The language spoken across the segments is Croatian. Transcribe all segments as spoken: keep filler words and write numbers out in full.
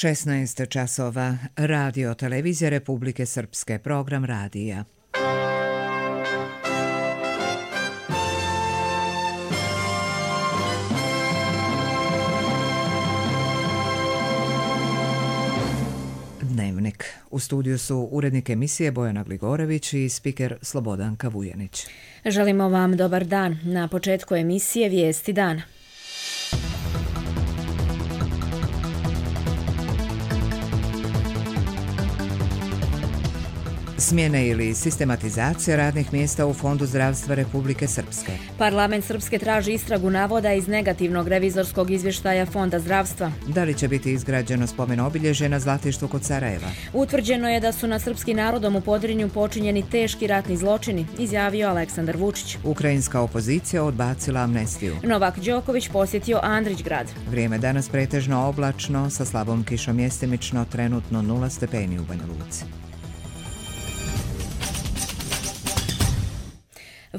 šesnaest časova. Radio Televizija Republike Srpske. Program radija. Dnevnik. U studiju su urednik emisije Bojana Gligorević i spiker Slobodanka Vujanić. Želimo vam dobar dan. Na početku emisije Vijesti dana. Smjene ili sistematizacija radnih mjesta u Fondu zdravstva Republike Srpske. Parlament Srpske traži istragu navoda iz negativnog revizorskog izvještaja Fonda zdravstva. Da li će biti izgrađeno spomen obilježje na Zlatištu kod Sarajeva? Utvrđeno je da su na srpski narodom u Podrinju počinjeni teški ratni zločini, izjavio Aleksandar Vučić. Ukrajinska opozicija odbacila amnestiju. Novak Đoković posjetio Andrićgrad. Vrijeme danas pretežno oblačno, sa slabom kišom mjestimično, trenutno nula stepeni u Banja Luci.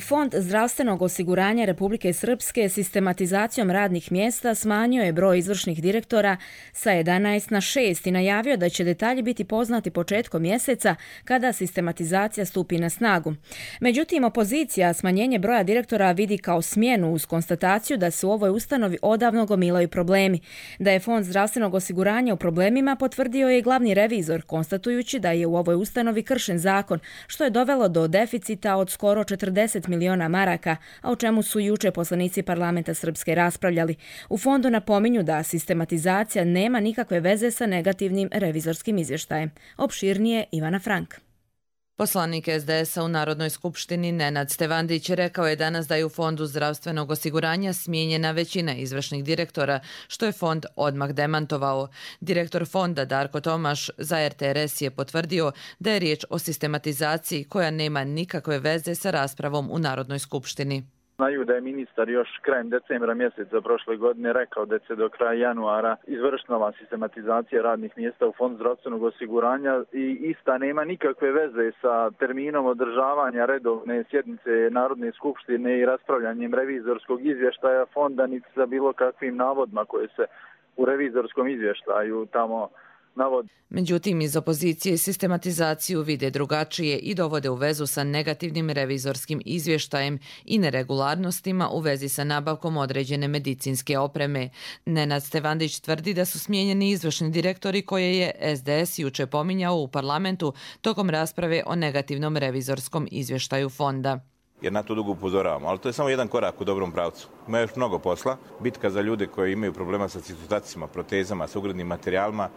Fond zdravstvenog osiguranja Republike Srpske sistematizacijom radnih mjesta smanjio je broj izvršnih direktora sa jedanaest na šest i najavio da će detalji biti poznati početkom mjeseca kada sistematizacija stupi na snagu. Međutim, opozicija smanjenje broja direktora vidi kao smjenu uz konstataciju da se u ovoj ustanovi odavno gomilaju problemi. Da je Fond zdravstvenog osiguranja u problemima potvrdio je i glavni revizor, konstatujući da je u ovoj ustanovi kršen zakon, što je dovelo do deficita od skoro četrdeset miliona maraka, a o čemu su juče poslanici parlamenta Srpske raspravljali. U fondu napominju da sistematizacija nema nikakve veze sa negativnim revizorskim izvještajem. Opširnije Ivana Frank. Poslanik es de es a u Narodnoj skupštini Nenad Stevandić rekao je danas da je u Fondu zdravstvenog osiguranja smijenjena većina izvršnih direktora, što je fond odmah demantovao. Direktor fonda Darko Tomaš za er te er es je potvrdio da je riječ o sistematizaciji koja nema nikakve veze sa raspravom u Narodnoj skupštini. Znaju da je ministar još krajem decembra mjeseca prošle godine rekao da će do kraja januara izvršila sistematizacija radnih mjesta u Fondu zdravstvenog osiguranja i ista nema nikakve veze sa terminom održavanja redovne sjednice Narodne skupštine i raspravljanjem revizorskog izvještaja fonda, niti sa bilo kakvim navodima koje se u revizorskom izvještaju tamo navodi. Međutim, iz opozicije sistematizaciju vide drugačije i dovode u vezu sa negativnim revizorskim izvještajem i neregularnostima u vezi sa nabavkom određene medicinske opreme. Nenad Stevandić tvrdi da su smijenjeni izvršni direktori koje je es de es juče pominjao u parlamentu tokom rasprave o negativnom revizorskom izvještaju fonda. Jer na to dugo upozoravamo, ali to je samo jedan korak u dobrom pravcu. Ima još mnogo posla. Bitka za ljude koji imaju problema sa citostacima, protezama, sa ugradnim materijalima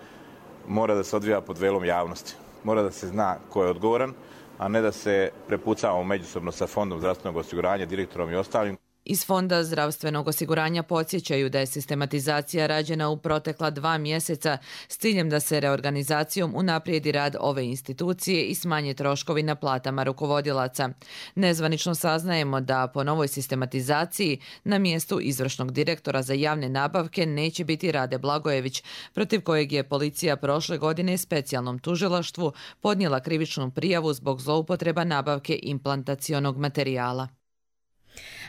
mora da se odvija pod velom javnosti. Mora da se zna ko je odgovoran, a ne da se prepucavamo međusobno sa Fondom zdravstvenog osiguranja, direktorom i ostalim. Iz Fonda zdravstvenog osiguranja podsjećaju da je sistematizacija rađena u protekla dva mjeseca s ciljem da se reorganizacijom unaprijedi rad ove institucije i smanje troškovi na platama rukovodilaca. Nezvanično saznajemo da po novoj sistematizaciji na mjestu izvršnog direktora za javne nabavke neće biti Rade Blagojević, protiv kojeg je policija prošle godine specijalnom tužilaštvu podnijela krivičnu prijavu zbog zloupotreba nabavke implantacionog materijala.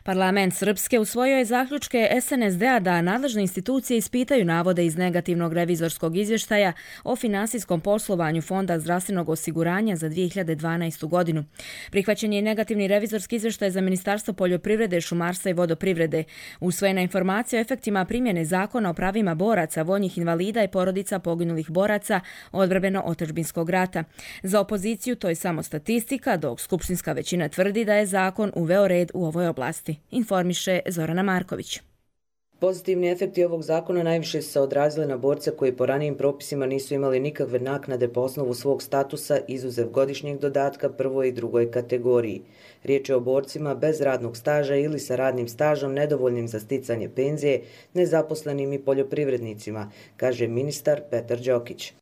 Parlament Srpske usvojio je zaključke es en es de a da nadležne institucije ispitaju navode iz negativnog revizorskog izvještaja o finansijskom poslovanju Fonda zdravstvenog osiguranja za dvije hiljade dvanaestu godinu. Prihvaćen je negativni revizorski izvještaj za Ministarstvo poljoprivrede, šumarstva i vodoprivrede. Usvojena informacija o efektima primjene zakona o pravima boraca, vojnih invalida i porodica poginulih boraca odbrambeno-otadžbinskog rata. Za opoziciju to je samo statistika, dok skupštinska većina tvrdi da je zakon uveo red u ovoj oblasti, informiše Zorana Marković. Pozitivni efekti ovog zakona najviše su se odrazili na borce koji po ranijim propisima nisu imali nikakve naknade po osnovu svog statusa izuzev godišnjeg dodatka prvoj i drugoj kategoriji. Riječ je o borcima bez radnog staža ili sa radnim stažom nedovoljnim za sticanje penzije, nezaposlenim i poljoprivrednicima, kaže ministar Petar Đokić.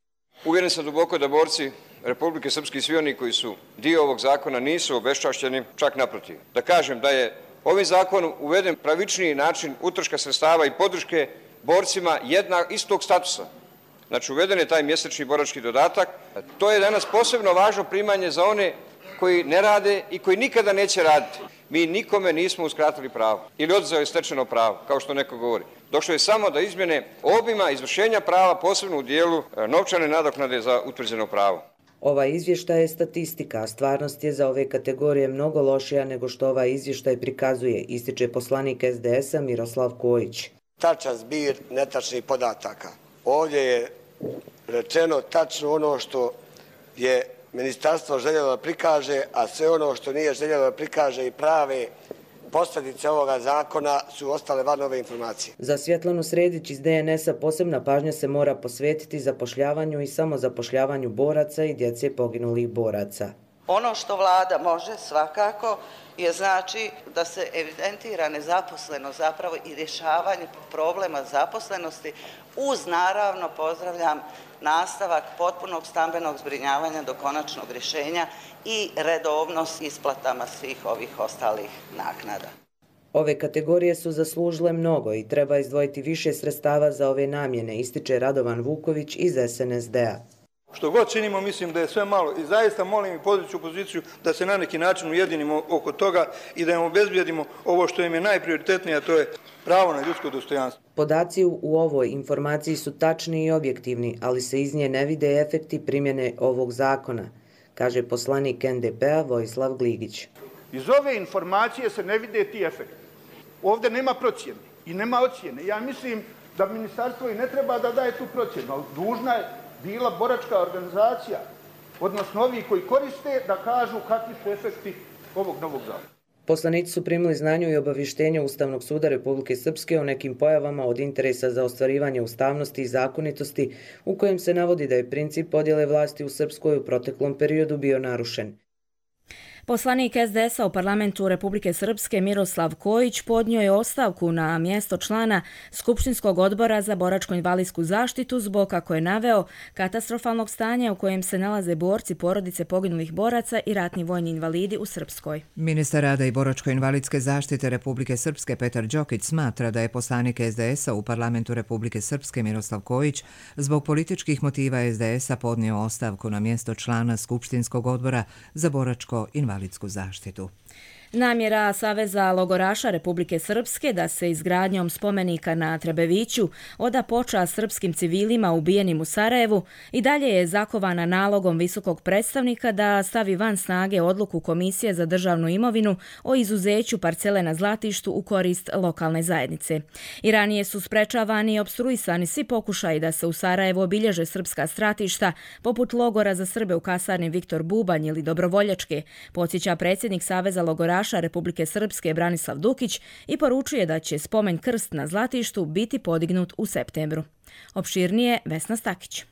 Uvjeren sam duboko da borci Republike Srpske i svi oni koji su dio ovog zakona nisu obeščašćeni, čak naprotiv. Da kažem da je ovim zakonom uveden pravičniji način utroška sredstava i podrške borcima jedna, istog statusa. Znači uveden je taj mjesečni borački dodatak. To je danas posebno važno primanje za one koji ne rade i koji nikada neće raditi. Mi nikome nismo uskratili pravo ili oduzeo je stečeno pravo, kao što neko govori. Došlo je samo do izmjene obima izvršenja prava, posebno u dijelu novčane nadoknade za utvrđeno pravo. Ovaj izvještaj je statistika, a stvarnost je za ove kategorije mnogo lošija nego što ovaj izvještaj prikazuje, ističe poslanik es de es a Miroslav Kojić. Tačan zbir netačnih podataka. Ovdje je rečeno tačno ono što je ministarstvo željelo da prikaže, a sve ono što nije željelo da prikaže i prave posljedice ovoga zakona su ostale van ove informacije. Za Svjetlanu Sredić iz de en es a posebna pažnja se mora posvetiti zapošljavanju i samozapošljavanju boraca i djece poginulih boraca. Ono što vlada može svakako je znači da se evidentira nezaposlenost zapravo i rješavanje problema zaposlenosti uz naravno pozdravljam nastavak potpunog stambenog zbrinjavanja do konačnog rješenja i redovnost isplatama svih ovih ostalih naknada. Ove kategorije su zaslužile mnogo i treba izdvojiti više sredstava za ove namjene, ističe Radovan Vuković iz es en es de a. Što god činimo, mislim da je sve malo i zaista molim i podiću poziciju da se na neki način ujedinimo oko toga i da im obezbijedimo ovo što im je najprioritetnije, a to je pravo na ljudsko dostojanstvo. Podaci u ovoj informaciji su tačni i objektivni, ali se iz nje ne vide efekti primjene ovog zakona, kaže poslanik en de pe a Vojislav Gligić. Iz ove informacije se ne vide ti efekti. Ovdje nema procjene i nema ocjene. Ja mislim da ministarstvo i ne treba da daje tu procjenu, ali dužna je bila boračka organizacija, odnosno ovi koji koriste, da kažu kakvi su efekti ovog novog zakona. Poslanici su primili znanju i obavještenje Ustavnog suda Republike Srpske o nekim pojavama od interesa za ostvarivanje ustavnosti i zakonitosti, u kojem se navodi da je princip podjele vlasti u Srpskoj u proteklom periodu bio narušen. Poslanik es de es a u parlamentu Republike Srpske Miroslav Kojić podnio je ostavku na mjesto člana Skupštinskog odbora za boračko-invalidsku zaštitu zbog, kako je naveo, katastrofalnog stanja u kojem se nalaze borci porodice poginulih boraca i ratni vojni invalidi u Srpskoj. Ministar rada i boračko-invalidske zaštite Republike Srpske Petar Đokić smatra da je poslanik es de es a u parlamentu Republike Srpske Miroslav Kojić zbog političkih motiva es de es a podnio ostavku na mjesto člana Skupštinskog odbora za boračko-invalidsku zaštitu. Namjera Saveza logoraša Republike Srpske da se izgradnjom spomenika na Trebeviću oda počast srpskim civilima ubijenim u Sarajevu i dalje je zakovana nalogom visokog predstavnika da stavi van snage odluku Komisije za državnu imovinu o izuzeću parcele na Zlatištu u korist lokalne zajednice. I ranije su sprečavani i opstruisani svi pokušaji da se u Sarajevu obilježe srpska stratišta, poput logora za Srbe u kasarni Viktor Bubanj ili Dobrovoljačke, podsjeća predsjednik Saveza logoraša Republike Srpske Branislav Dukić i poručuje da će spomen krst na Zlatištu biti podignut u septembru. Opširnije Vesna Stakić.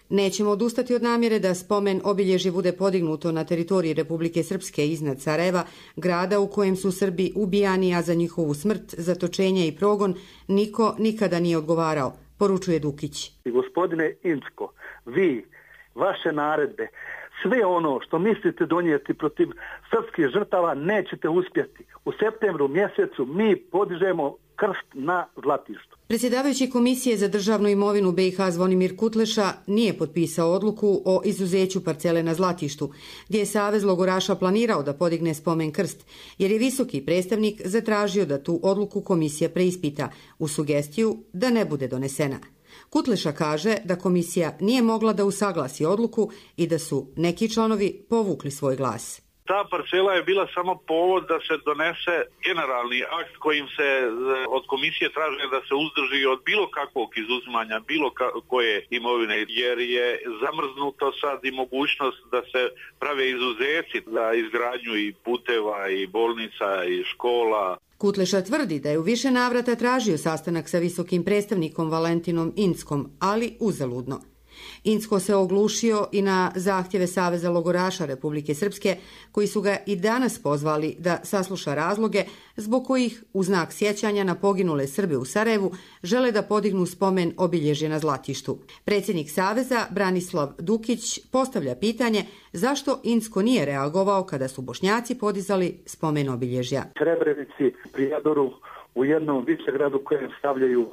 Nećemo odustati od namjere da spomen obilježje bude podignuto na teritoriji Republike Srpske iznad Sarajeva, grada u kojem su Srbi ubijani, a za njihovu smrt, zatočenje i progon niko nikada nije odgovarao, poručuje Dukić. I gospodine Incko, vi, vaše naredbe, sve ono što mislite donijeti protiv srpskih žrtava nećete uspjeti. U septembru mjesecu mi podižemo krst na Zlatištu. Predsjedavajući Komisije za državnu imovinu be i ha Zvonimir Kutleša nije potpisao odluku o izuzeću parcele na Zlatištu, gdje je Savez logoraša planirao da podigne spomen krst, jer je visoki predstavnik zatražio da tu odluku komisija preispita u sugestiju da ne bude donesena. Kutleša kaže da komisija nije mogla da usaglasi odluku i da su neki članovi povukli svoj glas. Ta parcela je bila samo povod da se donese generalni akt kojim se od komisije traži da se uzdrži od bilo kakvog izuzimanja, bilo koje imovine, jer je zamrznuto sad i mogućnost da se prave izuzeci za izgradnju i puteva i bolnica i škola. Kutleša tvrdi da je u više navrata tražio sastanak sa visokim predstavnikom Valentinom Inckom, ali uzaludno. Incko se oglušio i na zahtjeve Saveza logoraša Republike Srpske, koji su ga i danas pozvali da sasluša razloge zbog kojih, u znak sjećanja na poginule Srbe u Sarajevu, žele da podignu spomen obilježje na Zlatištu. Predsjednik Saveza, Branislav Dukić, postavlja pitanje zašto Incko nije reagovao kada su Bošnjaci podizali spomen obilježja. Srebrenici, Prijedoru, u jednom Višegradu kojem stavljaju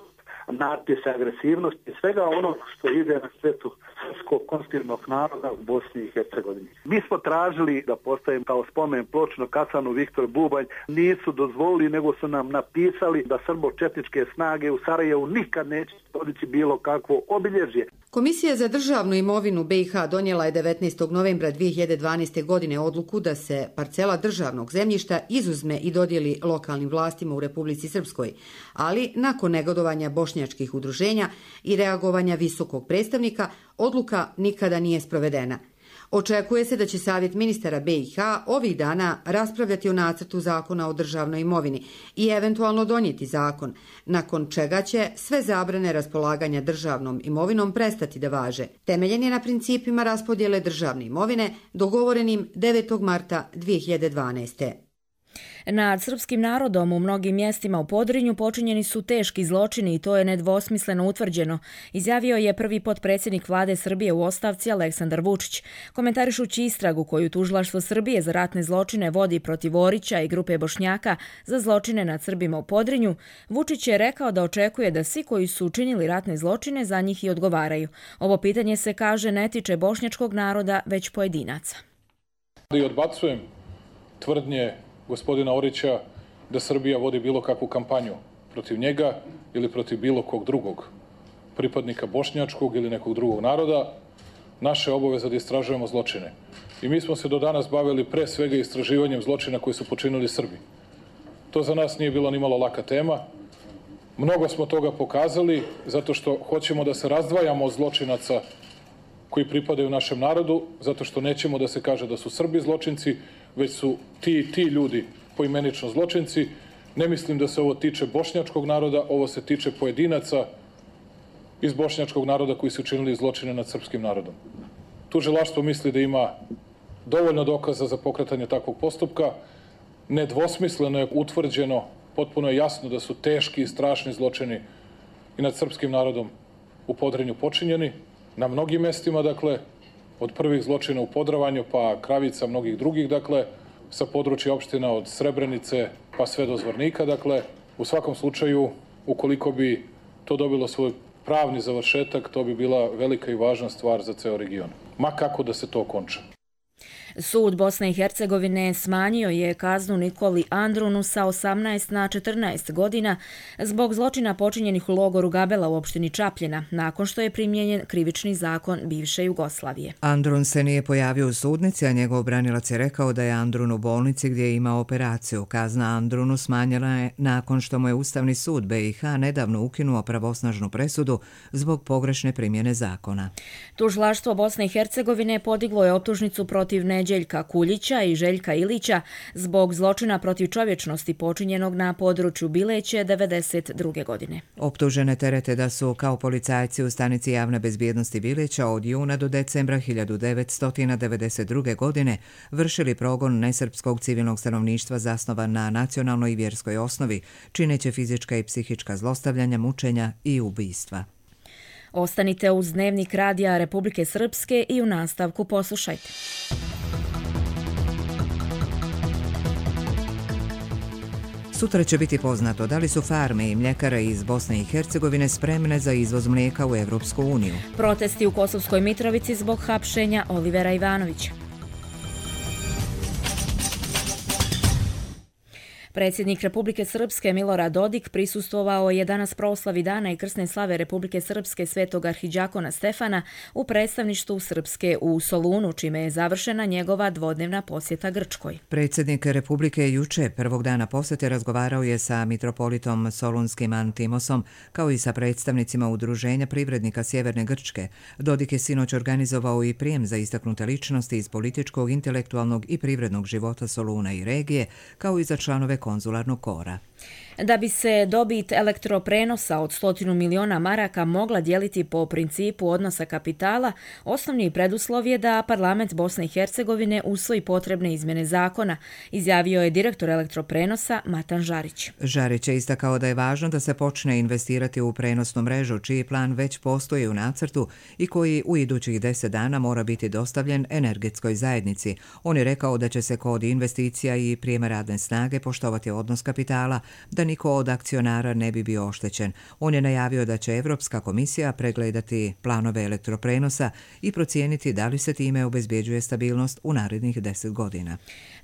natpise agresivnosti i svega ono što ide na štetu srpskog konstitutivnog naroda u Bosni i Hercegovini. Mi smo tražili da postavim kao spomen ploču na kasarnu Viktor Bubanj, nisu dozvolili, nego su nam napisali da srbo-četničke snage u Sarajevu nikad neće podići bilo kakvo obilježje. Komisija za državnu imovinu B i H donijela je devetnaestog novembra dvije hiljade dvanaeste. godine odluku da se parcela državnog zemljišta izuzme i dodijeli lokalnim vlastima u Republici Srpskoj, ali nakon negodovanja bošnjačkih udruženja i reagovanja visokog predstavnika, odluka nikada nije sprovedena. Očekuje se da će Savjet ministara B i H ovih dana raspravljati o nacrtu zakona o državnoj imovini i eventualno donijeti zakon, nakon čega će sve zabrane raspolaganja državnom imovinom prestati da važe. Temeljen je na principima raspodjele državne imovine dogovorenim devetog marta dvije hiljade dvanaeste. Nad srpskim narodom u mnogim mjestima u Podrinju počinjeni su teški zločini i to je nedvosmisleno utvrđeno, izjavio je prvi potpredsjednik vlade Srbije u ostavci Aleksandar Vučić. Komentarišući istragu koju tužilaštvo Srbije za ratne zločine vodi protiv Orića i grupe Bošnjaka za zločine nad Srbima u Podrinju, Vučić je rekao da očekuje da svi koji su učinili ratne zločine za njih i odgovaraju. Ovo pitanje se, kaže, ne tiče bošnjačkog naroda, već pojedinaca. I odbacujem tvrdnje gospodina Orića da Srbija vodi bilo kakvu kampanju protiv njega ili protiv bilo kog drugog pripadnika bošnjačkog ili nekog drugog naroda. Naše obaveze da istražujemo zločine. I mi smo se do danas bavili pre svega istraživanjem zločina koji su počinili Srbi. To za nas nije bilo ni malo laka tema. Mnogo smo toga pokazali zato što hoćemo da se razdvajamo od zločinaca koji pripadaju našem narodu, zato što nećemo da se kaže da su Srbi zločinci, već su ti ti ljudi poimenično zločinci. Ne mislim da se ovo tiče bošnjačkog naroda, ovo se tiče pojedinaca iz bošnjačkog naroda koji su učinili zločine nad srpskim narodom. Tužilaštvo misli da ima dovoljno dokaza za pokretanje takvog postupka. Nedvosmisleno je utvrđeno, potpuno je jasno da su teški i strašni zločini i nad srpskim narodom u Podrinju počinjeni. Na mnogim mestima, dakle, od prvih zločina u Podravanju, pa Kravica, mnogih drugih, dakle, sa područja opština od Srebrenice pa sve do Zvornika, dakle, u svakom slučaju, ukoliko bi to dobilo svoj pravni završetak, to bi bila velika i važna stvar za ceo region. Ma kako da se to okonča. Sud Bosne i Hercegovine smanjio je kaznu Nikoli Andrunu sa osamnaest na četrnaest godina zbog zločina počinjenih u logoru Gabela u opštini Čapljina, nakon što je primijenjen krivični zakon bivše Jugoslavije. Andrun se nije pojavio u sudnici, a njegov branilac je rekao da je Andrun u bolnici gdje je imao operaciju. Kazna Andrunu smanjila je nakon što mu je Ustavni sud B i H nedavno ukinuo pravosnažnu presudu zbog pogrešne primjene zakona. Tužilaštvo Bosne i Hercegovine podiglo je optužnicu protiv Neđeljka Kuljića i Željka Ilića zbog zločina protiv čovječnosti počinjenog na području Bileće devedeset druge. godine. Optužene terete da su kao policajci u stanici javne bezbjednosti Bileća od juna do decembra hiljadu devetsto devedeset druge. godine vršili progon nesrpskog civilnog stanovništva zasnovan na nacionalnoj i vjerskoj osnovi, čineće fizička i psihička zlostavljanja, mučenja i ubistva. Ostanite uz Dnevnik radija Republike Srpske i u nastavku poslušajte. Sutra će biti poznato da li su farme i mljekare iz Bosne i Hercegovine spremne za izvoz mlijeka u Evropsku uniju. Protesti u Kosovskoj Mitrovici zbog hapšenja Olivera Ivanovića. Predsjednik Republike Srpske Milorad Dodik prisustvovao je danas proslavi dana i krsne slave Republike Srpske svetog arhidžakona Stefana u predstavništvu Srpske u Solunu, čime je završena njegova dvodnevna posjeta Grčkoj. Predsjednik Republike juče prvog dana posjete razgovarao je sa mitropolitom Solunskim Antimosom, kao i sa predstavnicima Udruženja privrednika Sjeverne Grčke. Dodik je sinoć organizovao i prijem za istaknute ličnosti iz političkog, intelektualnog i privrednog života Soluna i regije, kao i za članove konzularnog kora. Da bi se dobit elektroprenosa od stotinu miliona maraka mogla dijeliti po principu odnosa kapitala, osnovni preduslov je da parlament Bosne i Hercegovine usvoji potrebne izmjene zakona, izjavio je direktor elektroprenosa Matan Žarić. Žarić je istakao da je važno da se počne investirati u prenosnu mrežu, čiji plan već postoji u nacrtu i koji u idućih deset dana mora biti dostavljen energetskoj zajednici. On je rekao da će se kod investicija i prijema radne snage poštovati odnos kapitala da niko od akcionara ne bi bio oštećen. On je najavio da će Evropska komisija pregledati planove elektroprenosa i procijeniti da li se time obezbjeđuje stabilnost u narednih deset godina.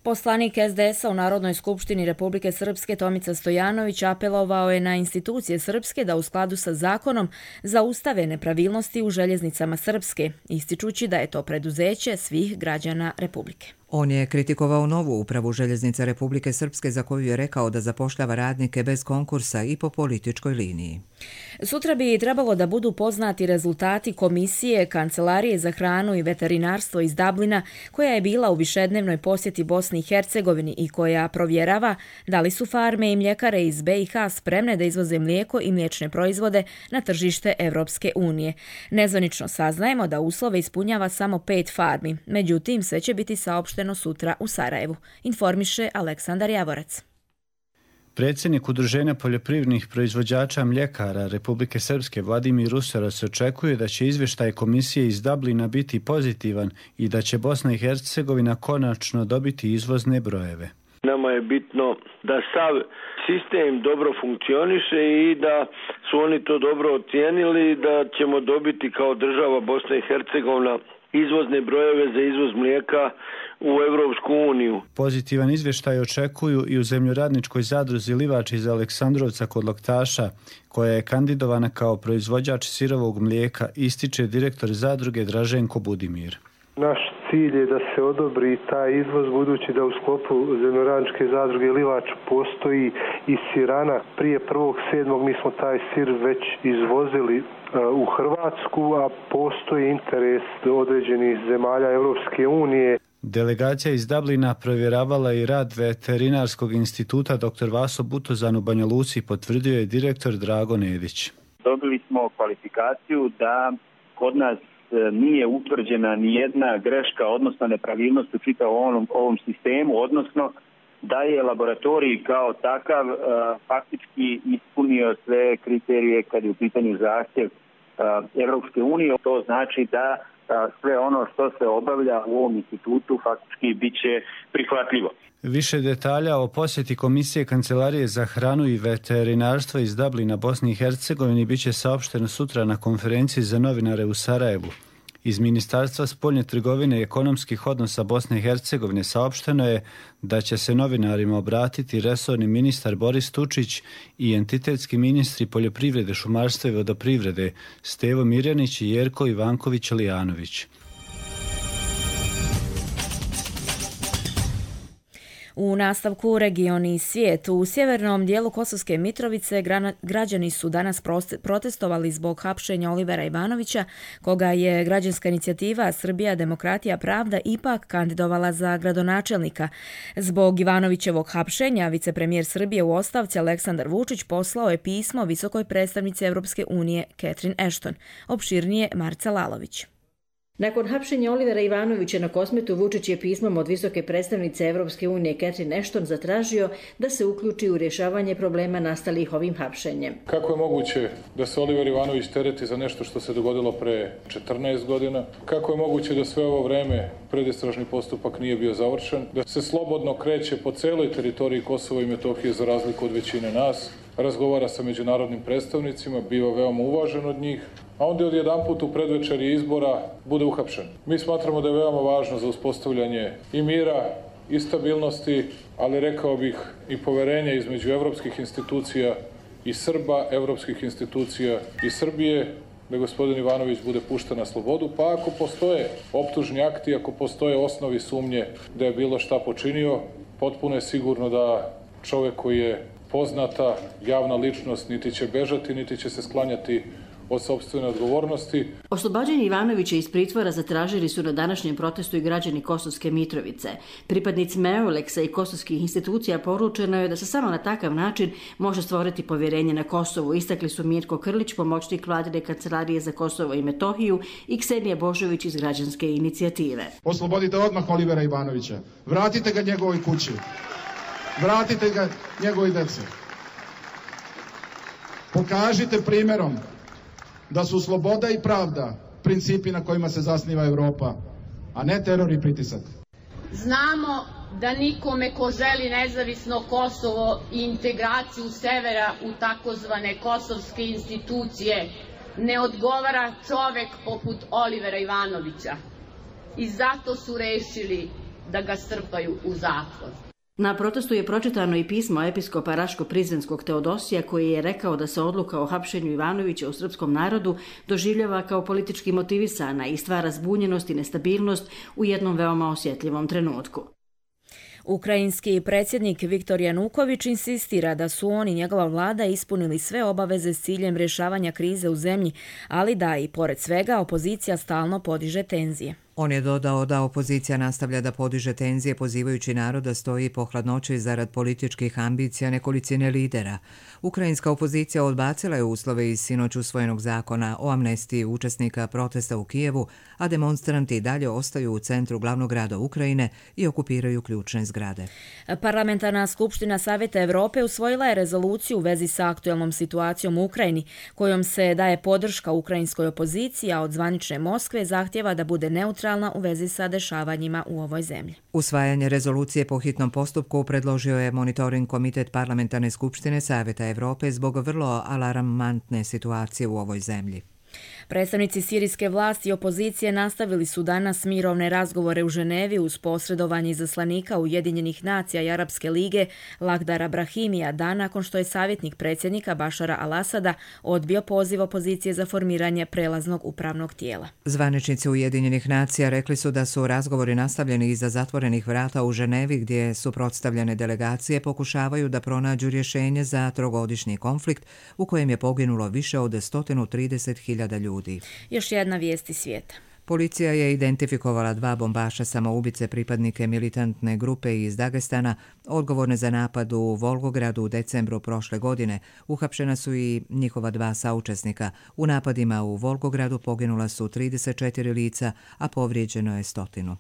Poslanik es de esa u Narodnoj skupštini Republike Srpske Tomica Stojanović apelovao je na institucije Srpske da u skladu sa zakonom zaustave nepravilnosti u željeznicama Srpske, ističući da je to preduzeće svih građana Republike. On je kritikovao novu upravu Željeznica Republike Srpske za koju je rekao da zapošljava radnike bez konkursa i po političkoj liniji. Sutra bi trebalo da budu poznati rezultati komisije Kancelarije za hranu i veterinarstvo iz Dublina, koja je bila u višednevnoj posjeti Bosni i Hercegovini i koja provjerava da li su farme i mljekare iz be i ha spremne da izvoze mlijeko i mliječne proizvode na tržište Evropske unije. Nezvanično saznajemo da uslove ispunjava samo pet farmi, međutim sve će biti saopšteno sutra u Sarajevu, informiše Aleksandar Javorac. Predsjednik Udruženja poljoprivrednih proizvođača mljekara Republike Srpske Vladimir Ruseros očekuje da će izvještaj komisije iz Dublina biti pozitivan i da će Bosna i Hercegovina konačno dobiti izvozne brojeve. Nama je bitno da sav sistem dobro funkcioniše i da su oni to dobro ocijenili, da ćemo dobiti kao država Bosna i Hercegovina izvozne brojeve za izvoz mlijeka u Evropsku uniju. Pozitivan izvještaj očekuju i u zemljoradničkoj zadruzi Livač iz Aleksandrovca kod Loktaša, koja je kandidovana kao proizvođač sirovog mlijeka, ističe direktor zadruge Draženko Budimir. Naš cilj je da se odobri taj izvoz, budući da u sklopu zemljoradničke zadruge Livač postoji i sirana. Prije prvog sedmog mi smo taj sir već izvozili u Hrvatsku, a postoji interes određenih zemalja Evropske unije. Delegacija iz Dublina provjeravala i rad veterinarskog instituta dr. Vaso Butozan u Banja Luci, potvrdio je direktor Drago Nedić. Dobili smo kvalifikaciju da kod nas nije utvrđena ni jedna greška, odnosno nepravilnost u čitavom ovom, ovom sistemu, odnosno da je laboratorij kao takav uh, faktički ispunio sve kriterije kad je u pitanju zahtjev uh, Evropske unije. To znači da uh, sve ono što se obavlja u ovom institutu faktički bit će prihvatljivo. Više detalja o posjeti Komisije Kancelarije za hranu i veterinarstvo iz Dublina Bosni i Hercegovini bit će saopšteno sutra na konferenciji za novinare u Sarajevu. Iz Ministarstva spoljne trgovine i ekonomskih odnosa Bosne i Hercegovine saopšteno je da će se novinarima obratiti resorni ministar Boris Tučić i entitetski ministri poljoprivrede, šumarstva i vodoprivrede Stevo Mirjanić i Jerko Ivanković-Lijanović. U nastavku regioni i svijet. U sjevernom dijelu Kosovske Mitrovice građani su danas protestovali zbog hapšenja Olivera Ivanovića, koga je građanska inicijativa Srbija, demokratija, pravda ipak kandidovala za gradonačelnika. Zbog Ivanovićevog hapšenja vicepremijer Srbije u ostavci Aleksandar Vučić poslao je pismo visokoj predstavnici Evropske unije Catherine Ashton. Opširnije Marca Lalović. Nakon hapšenja Olivera Ivanovića na Kosmetu, Vučić je pismom od visoke predstavnice Evropske unije Catherine Ashton zatražio da se uključi u rješavanje problema nastalih ovim hapšenjem. Kako je moguće da se Oliver Ivanović tereti za nešto što se dogodilo pre četrnaest godina? Kako je moguće da sve ovo vreme predistražni postupak nije bio završen? Da se slobodno kreće po celoj teritoriji Kosova i Metohije za razliku od većine nas? Razgovara sa međunarodnim predstavnicima, biva veoma uvažen od njih, a onda odjedanput u predvečerje izbora bude uhapšen. Mi smatramo da je veoma važno za uspostavljanje i mira i stabilnosti, ali rekao bih i poverenja između evropskih institucija i Srba, evropskih institucija i Srbije, da gospodin Ivanović bude pušten na slobodu, pa ako postoje optužni akti, ako postoje osnovi sumnje da je bilo šta počinio, potpuno je sigurno da čovjek koji je poznata javna ličnost niti će bežati, niti će se sklanjati od sopstvene odgovornosti. Oslobađanje Ivanovića iz pritvora zatražili su na današnjem protestu i građani Kosovske Mitrovice. Pripadnicima Euleksa i kosovskih institucija poručeno je da se samo na takav način može stvoriti povjerenje na Kosovu. Istakli su Mirko Krlić, pomoćnik vladine kancelarije za Kosovo i Metohiju, i Ksenija Božović iz građanske inicijative. Oslobodite odmah Olivera Ivanovića. Vratite ga njegovoj kući. Vratite ga njegovoj djeci. Pokažite primjerom da su sloboda i pravda principi na kojima se zasniva Europa, a ne teror i pritisak. Znamo da nikome ko želi nezavisno Kosovo i integraciju severa u takozvane kosovske institucije ne odgovara čovek poput Olivera Ivanovića i zato su rešili da ga strpaju u zatvor. Na protestu je pročitano i pismo episkopa Raško-Prizrenskog Teodosija koji je rekao da se odluka o hapšenju Ivanovića u srpskom narodu doživljava kao politički motivisana i stvara zbunjenost i nestabilnost u jednom veoma osjetljivom trenutku. Ukrajinski predsjednik Viktor Januković insistira da su on i njegova vlada ispunili sve obaveze s ciljem rješavanja krize u zemlji, ali da i pored svega opozicija stalno podiže tenzije. On je dodao da opozicija nastavlja da podiže tenzije pozivajući narod da stoji po hladnoći zarad političkih ambicija nekolicine lidera. Ukrajinska opozicija odbacila je uslove iz sinoć usvojenog zakona o amnestiji učesnika protesta u Kijevu, a demonstranti dalje ostaju u centru glavnog grada Ukrajine i okupiraju ključne zgrade. Parlamentarna skupština Savjeta Evrope usvojila je rezoluciju u vezi sa aktuelnom situacijom u Ukrajini, kojom se daje podrška ukrajinskoj opoziciji, a od zvanične Moskve zahtjeva da bude neutralna u vezi sa dešavanjima u ovoj zemlji. Usvajanje rezolucije po hitnom postupku predložio je monitoring komitet Parlamentarne skupštine Savjeta Evrope zbog vrlo alarmantne situacije u ovoj zemlji. Predstavnici sirijske vlasti i opozicije nastavili su danas mirovne razgovore u Ženevi uz posredovanje izaslanika Ujedinjenih nacija i Arapske lige Lakhdara Brahimija dan nakon što je savjetnik predsjednika Bašara al-Asada odbio poziv opozicije za formiranje prelaznog upravnog tijela. Zvaničnici Ujedinjenih nacija rekli su da su razgovori nastavljeni iza zatvorenih vrata u Ženevi gdje suprotstavljene delegacije pokušavaju da pronađu rješenje za trogodišnji konflikt u kojem je poginulo više od sto trideset hiljada ljudi. Još jedna vijest iz svijeta. Policija je identifikovala dva bombaša samoubice pripadnike militantne grupe iz Dagestana, odgovorne za napad u Volgogradu u decembru prošle godine. Uhapšena su i njihova dva saučesnika. U napadima u Volgogradu poginula su trideset četiri lica, a povrijeđeno je stotinu.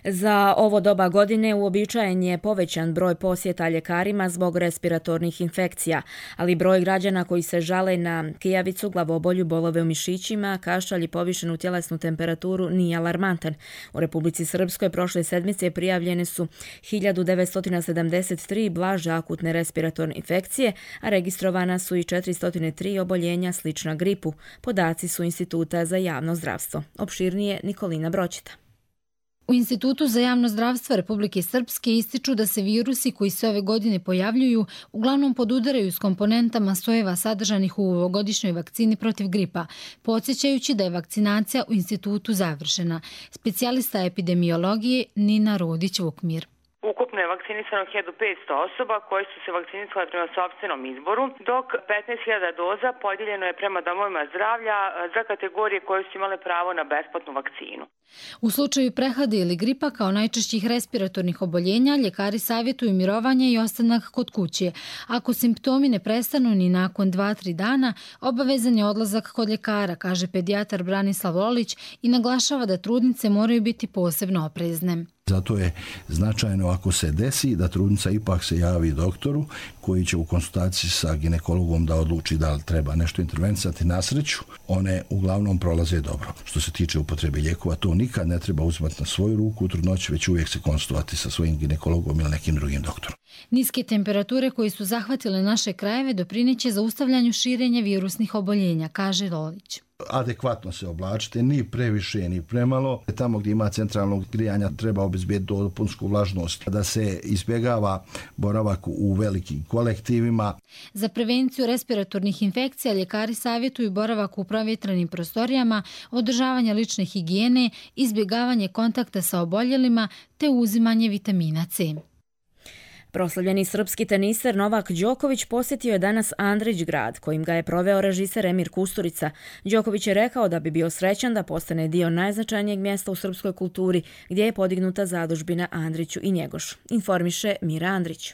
Za ovo doba godine uobičajen je povećan broj posjeta ljekarima zbog respiratornih infekcija, ali broj građana koji se žale na kijavicu, glavobolju, bolove u mišićima, kašalj i povišenu tjelesnu temperaturu nije alarmantan. U Republici Srpskoj prošle sedmice prijavljene su hiljadu devetsto sedamdeset tri blaže akutne respiratorne infekcije, a registrovana su i četiristo tri oboljenja slična gripu. Podaci su Instituta za javno zdravstvo. Opširnije Nikolina Bročita. U Institutu za javno zdravstvo Republike Srpske ističu da se virusi koji se ove godine pojavljuju uglavnom podudaraju s komponentama sojeva sadržanih u ovogodišnjoj vakcini protiv gripa, podsjećajući da je vakcinacija u institutu završena. Specijalista epidemiologije Nina Rodić-Vukmir. Ukupno je vakcinisano hiljadu petsto osoba koje su se vakcinisale prema sopstvenom izboru, dok petnaest hiljada doza podijeljeno je prema domovima zdravlja za kategorije koje su imale pravo na besplatnu vakcinu. U slučaju prehlade ili gripa kao najčešćih respiratornih oboljenja, ljekari savjetuju mirovanje i ostanak kod kuće. Ako simptomi ne prestanu ni nakon dva do tri dana, obavezan je odlazak kod ljekara, kaže pedijatar Branislav Lolić i naglašava da trudnice moraju biti posebno oprezne. Zato je značajno ako se desi da trudnica ipak se javi doktoru koji će u konsultaciji sa ginekologom da odluči da li treba nešto intervenisati. Na sreću, one uglavnom prolaze dobro. Što se tiče upotrebe lijekova, to nikad ne treba uzimati na svoju ruku u trudnoći, već uvijek se konsultovati sa svojim ginekologom ili nekim drugim doktorom. Niske temperature koje su zahvatile naše krajeve doprineće zaustavljanju širenja virusnih oboljenja, kaže Lolić. Adekvatno se oblačite, ni previše, ni premalo. Tamo gdje ima centralnog grijanja treba obezbijeti dopunsku vlažnost, da se izbjegava boravak u velikim kolektivima. Za prevenciju respiratornih infekcija ljekari savjetuju boravak u provjetranim prostorijama, održavanje lične higijene, izbjegavanje kontakta sa oboljelima te uzimanje vitamina C. Proslavljeni srpski teniser Novak Đoković posjetio je danas Andrić grad, kojim ga je proveo režiser Emir Kusturica. Đoković je rekao da bi bio srećan da postane dio najznačajnijeg mjesta u srpskoj kulturi, gdje je podignuta zadužbina Andriću i Njegoš. Informiše Mira Andrić.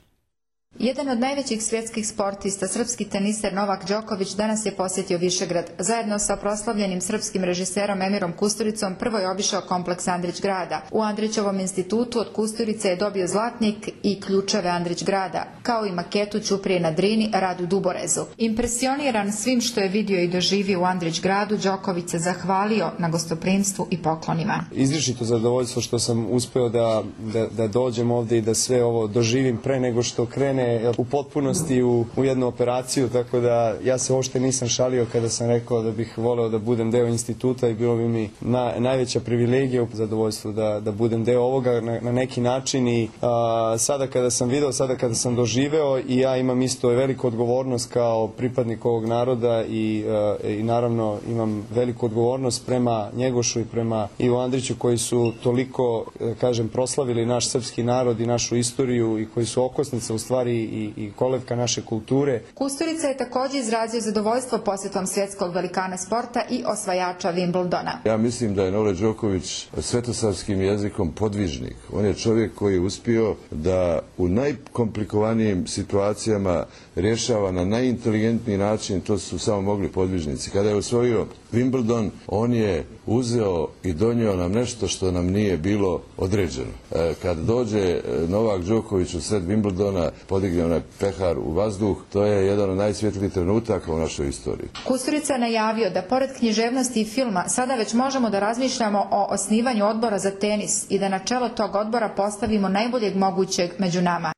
Jedan od najvećih svjetskih sportista, srpski teniser Novak Đoković, danas je posjetio Višegrad. Zajedno sa proslavljenim srpskim režiserom Emirom Kusturicom prvo je obišao kompleks Andrić grada. U Andrićevom institutu od Kusturice je dobio zlatnik i ključeve Andrić grada, kao i maketu Ćuprije na Drini, Radu Duborezu. Impresioniran svim što je vidio i doživio u Andrić gradu, Đoković se zahvalio na gostoprimstvu i poklonima. Izričito zadovoljstvo što sam uspeo da, da, da dođem ovdje i da sve ovo doživim pre nego što krene u potpunosti u, u jednu operaciju, tako da ja se uopšte nisam šalio kada sam rekao da bih voleo da budem deo instituta i bilo bi mi na, najveća privilegija, zadovoljstvo da, da budem deo ovoga na, na neki način i a, sada kada sam video, sada kada sam doživeo i ja imam isto veliku odgovornost kao pripadnik ovog naroda i, a, i naravno imam veliku odgovornost prema Njegošu i prema Ivo Andriću koji su toliko, kažem, proslavili naš srpski narod i našu istoriju i koji su okosnica u stvari I, i kolevka naše kulture. Kusturica je također izrazio zadovoljstvo posjetom svjetskog velikana sporta i osvajača Wimbledona. Ja mislim da je Novak Đoković svetosavskim jezikom podvižnik. On je čovjek koji je uspio da u najkomplikovanijim situacijama rješava na najinteligentniji način, to su samo mogli podvižnici. Kada je osvojio Wimbledon, on je uzeo i donio nam nešto što nam nije bilo određeno. E, kad dođe Novak Đoković u sred Wimbledona, podigne onaj pehar u vazduh, to je jedan od najsvjetlijih trenutaka u našoj istoriji. Kusturica je najavio da pored književnosti i filma sada već možemo da razmišljamo o osnivanju odbora za tenis i da na čelo tog odbora postavimo najboljeg mogućeg među nama.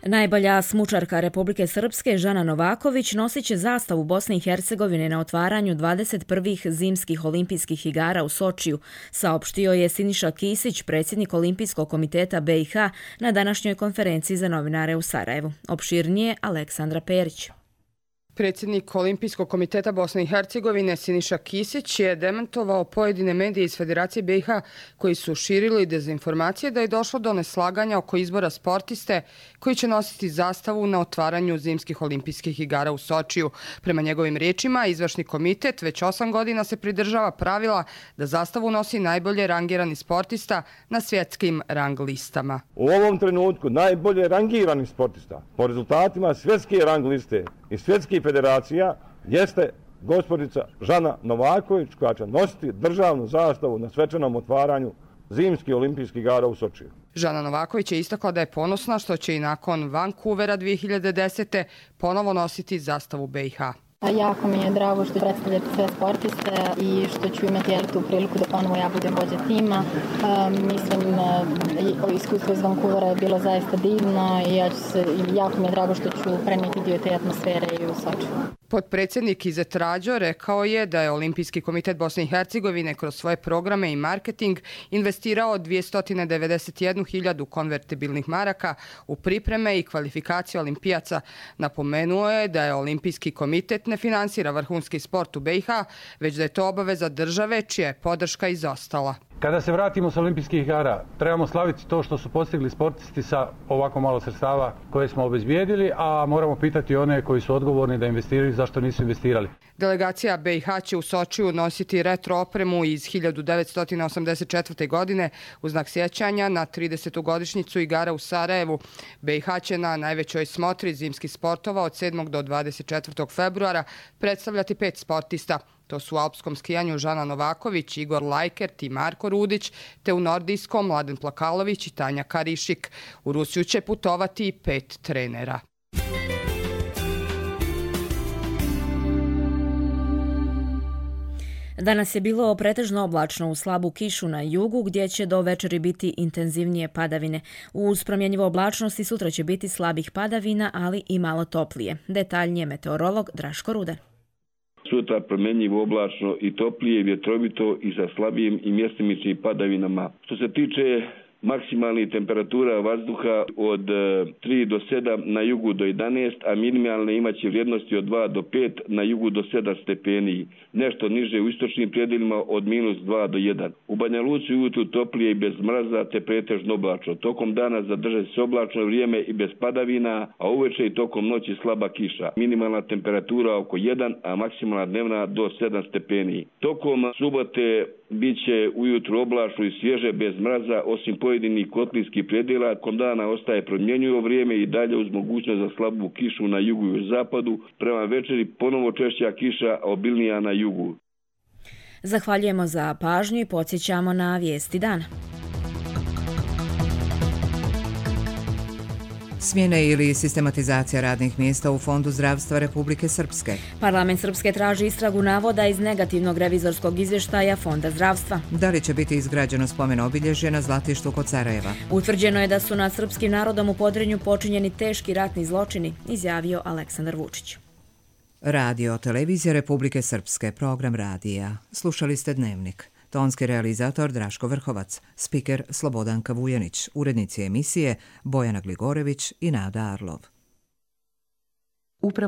Najbolja smučarka Republike Srpske Žana Novaković nosit će zastavu Bosne i Hercegovine na otvaranju dvadeset prvih zimskih olimpijskih igara u Sočiju, saopštio je Siniša Kisić, predsjednik Olimpijskog komiteta B i H, na današnjoj konferenciji za novinare u Sarajevu. Opširnije Aleksandra Perić. Predsjednik Olimpijskog komiteta Bosne i Hercegovine Siniša Kisić je demantovao pojedine medije iz Federacije B i H koji su širili dezinformacije da je došlo do neslaganja oko izbora sportiste koji će nositi zastavu na otvaranju zimskih olimpijskih igara u Sočiju. Prema njegovim riječima, izvršni komitet već osam godina se pridržava pravila da zastavu nosi najbolje rangirani sportista na svjetskim rang listama. U ovom trenutku najbolje rangirani sportista po rezultatima svjetske rang liste i svjetskih federacija jeste gospođica Žana Novaković koja će nositi državnu zastavu na svečanom otvaranju zimskih olimpijskih igara u Sočiju. Žana Novaković je istakla da je ponosna što će i nakon Vancouvera dvije hiljade desete. ponovo nositi zastavu B i H. Jako mi je drago što predstavljate sve sportiste i što ću imati tu priliku da ponovo ja budem vođa tima. Um, mislim, uh, iskustvo iz Vancouvera je bilo zaista divno i ja ću se, jako mi je drago što ću prenijeti dio te atmosfere i u Sočiju. Potpredsjednik Izet Rađo rekao je da je Olimpijski komitet Bosne i Hercegovine kroz svoje programe i marketing investirao dvjesto devedeset jednu hiljadu konvertibilnih maraka u pripreme i kvalifikacije olimpijaca. Napomenuo je da je Olimpijski komitet ne finansira vrhunski sport u B i H, već da je to obaveza države čija je podrška izostala. Kada se vratimo s olimpijskih igara, trebamo slaviti to što su postigli sportisti sa ovako malo sredstava koje smo obezbijedili, a moramo pitati one koji su odgovorni da investiraju zašto nisu investirali. Delegacija B i H će u Sočiju nositi retro opremu iz hiljadu devetsto osamdeset četvrte. godine u znak sjećanja na tridesetu godišnjicu igara u Sarajevu. B i H će na najvećoj smotri zimskih sportova od sedmog do dvadeset četvrtog februara predstavljati pet sportista. To su u alpskom skijanju Žana Novaković, Igor Lajkert i Marko Rudić, te u nordijskom Mladen Plakalović i Tanja Karišik. U Rusiju će putovati pet trenera. Danas je bilo pretežno oblačno uz slabu kišu na jugu, gdje će do večeri biti intenzivnije padavine. Uz promjenjivu oblačnost i sutra će biti slabih padavina, ali i malo toplije. Detaljnije meteorolog Draško Ruder. Sutra promjenjivo oblačno i toplije, vjetrovito i sa slabijim i mjestimičnim padavinama. Što se tiče maksimalnih temperatura vazduha od tri do sedam, na jugu do jedanaest, a minimalne imaće vrijednosti od dva do pet, na jugu do sedam stepeni. Nešto niže u istočnim predjelima od minus dva do jedan. U Banja Luci ujutru toplije i bez mraza te pretežno oblačno. Tokom dana zadrže se oblačno vrijeme i bez padavina, a uveče i tokom noći slaba kiša. Minimalna temperatura oko jedan, a maksimalna dnevna do sedam stepeni. Tokom subote Biće ujutru oblačno i svježe bez mraza, osim pojedinih kotlinskih predjela. Kom dana ostaje promjenjivo vrijeme i dalje uz mogućnost za slabu kišu na jugu i zapadu. Prema večeri ponovo češća kiša, a obilnija na jugu. Zahvaljujemo za pažnju i podsjećamo na vijesti dana. Smjene ili sistematizacija radnih mjesta u Fondu zdravstva Republike Srpske. Parlament Srpske traži istragu navoda iz negativnog revizorskog izvještaja Fonda zdravstva. Da li će biti izgrađeno spomen obilježje na Zlatištu kod Sarajeva? Utvrđeno je da su nad srpskim narodom u Podrinju počinjeni teški ratni zločini, izjavio Aleksandar Vučić. Radio Televizija Republike Srpske, program radija. Slušali ste Dnevnik. Tonski realizator Draško Vrhovac, spiker Slobodanka Vujanić, urednici emisije Bojana Gligorević i Nada Arlov.